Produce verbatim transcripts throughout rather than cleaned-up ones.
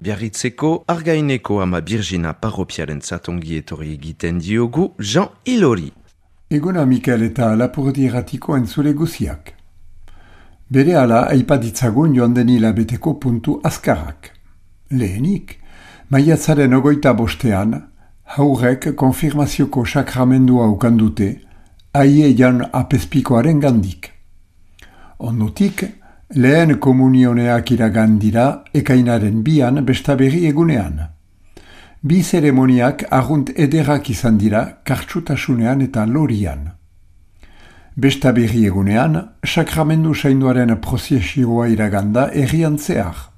Biarritzeko Argaineko ama Birgina parropiaren zatongi etorri egiten diogu Jean Ilori. Eguna Mikel eta Lapurdi erratiko entzule guziak. Bere ala aipaditzagun joan den hilabeteko puntu azkarrak. Lehenik, maiatzaren ogoita bostean, haurek konfirmazioko sakramendua ukandute, aie jan apespikoaren gandik. Ondotik, lehen komunioneak iragan dira ekainaren bian bestaberri egunean. Bi zeremoniak arrunt ederrak izan dira kartsutasunean eta lorian. Bestaberri egunean, sakramendu sainduaren prozesioa iraganda errian zehar.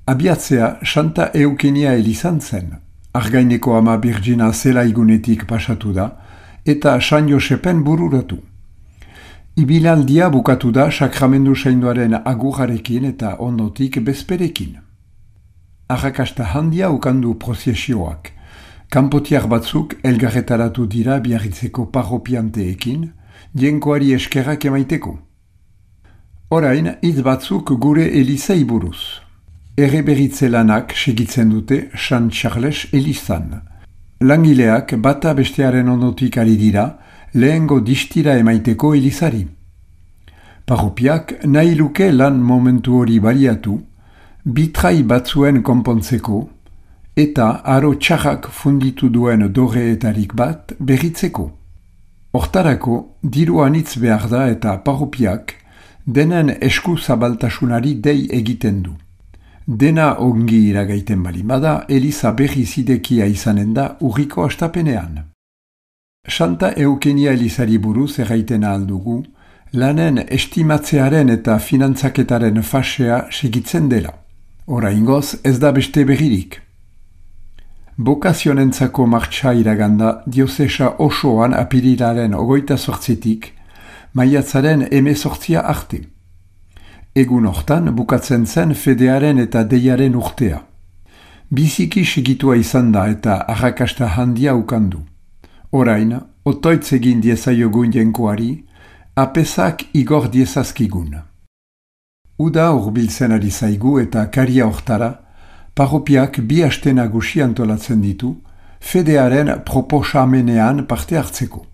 Abiatzea Santa Eukenia elizan zen, Argaineko ama Birgina zela igunetik pasatu da, eta San Josepen bururatu. Ibilaldia bukatu da sakramendu sainduaren agurrarekin eta ondotik bezperekin. Arrakasta handia ukandu prozesioak. Kanpotiar batzuk elgarretaratu dira Biarritzeko parropianteekin, jenkoari eskerrak emaiteko. Orain, hitz batzuk gure elizei buruz. Erreberitze lanak segitzen dute San Charles elizan. Langileak bata bestearen ondotik ari dira, lehengo distira emaiteko elizari. Parropiak nahi luke lan momentu hori baliatu, bitrai batzuen konpontzeko, eta aro txarrak funditu duen dorreetarik bat berritzeko. Hortarako, diru anitz behar da eta parropiak denen esku zabaltasunari dei egiten du. Dena ongi iragaiten balimada, eliza berri zidekia izanen da urriko astapenean. Santa Eukenia elizari buruz erraitena aldugu, lanen estimatzearen eta finantzaketaren fasea segitzen dela. Oraingoz ez da beste berririk. Bokazionentzako martxa iraganda diozesa osoan apirilaren ogoita sortzitik, maiatzaren emezortzia arte. Egun hortan bukatzen zen fedearen eta deiaren urtea. Biziki segitua izan da eta arrakasta handia ukandu. Orain, otoitz egin diezaiogun jenkoari, apesak igor diezazkigun. Uda hurbiltzen ari zaigu eta karia hortara, parropiak bi aste nagusi antolatzen ditu, fedearen proposamenean parte hartzeko.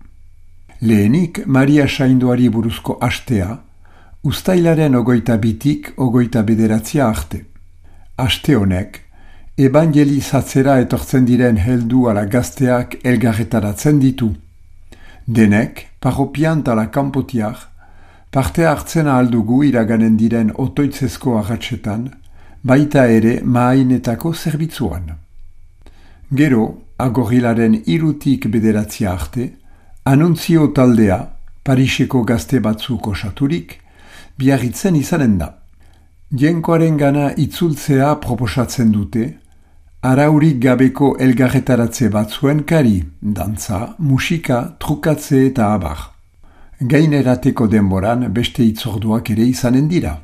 Lehenik, Maria Sainduari buruzko astea, ustailaren ogoita bitik ogoita bederatzia arte. Aste honek, evangelizatzera etortzen diren heldu ala gazteak elgarretaratzen ditu. Denek, parropiant ala kanpotiar, parte hartzen ahaldugu iraganen diren otoitzezko agatsetan, baita ere maainetako zerbitzuan. Gero, agorilaren irutik bederatzia arte, anuntzio taldea, Pariseko gazte batzuk osaturik, Biarritzen izanen da. Jenkoaren gana itzultzea proposatzen dute, araurik gabeko elgarretaratze batzuen kari, dantza, musika, trukatze eta abar. Gainerateko denboran beste itzorduak ere izanen dira.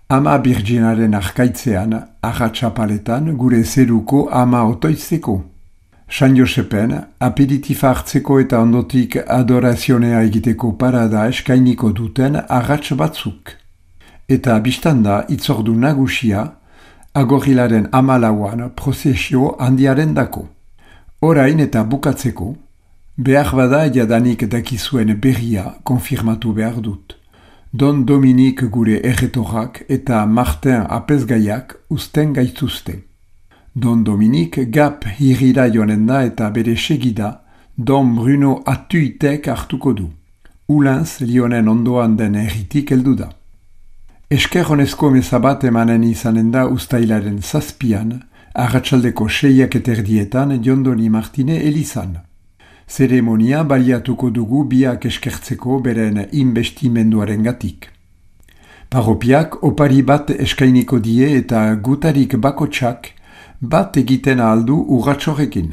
Ama Birginaren arkaitzean, arratxapaletan gure zeruko ama otoizteko. San Josepen, aperitifa hartzeko eta ondotik adorazionea egiteko parada eskainiko duten arratx batzuk. Eta biztanda itzordu nagusia, agorilaren amalauan prozesio handiaren dako. Orain eta bukatzeko, behar bada jadanik dakizuen berria konfirmatu behar dut. Don Dominik gure erretorrak eta Martin apesgaiak usten gaituzte. Don Dominik gap hirira joanen da eta bere segida Don Bruno Atuitek hartuko du. Ulanz Lionen ondoan den erritik heldu da. Esker honezko mezabat emanen izanen da ustailaren zazpian, arratsaldeko seiak eterdietan Jondoni Martine elizan. Zeremonia baliatuko dugu biak eskertzeko beren investimenduaren gatik. Parropiak opari bat eskainiko die eta gutarik bakotsak bat egiten ahaldu urratxorekin.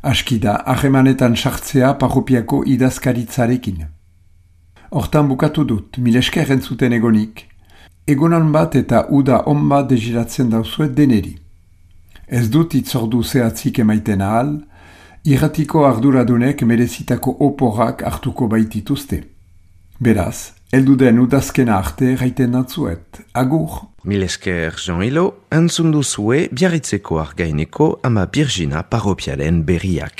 Askida, ahemanetan sartzea parropiako idazkaritzarekin. Hortan bukatu dut, milesker entzuten egonik. Egonan bat eta uda on bat deziratzen dauzuet deneri. Ez dut itzordu zehatzik emaiten ahal, irratiko arduradunek merezitako oporrak hartuko baitituzte. Beraz, Elduden udazkena arte gaiten natzuet. Agur! Mil esker Jean-Hilo, entzun duzue Biarritzeko Argaineko ama Birjina parropiaren berriak.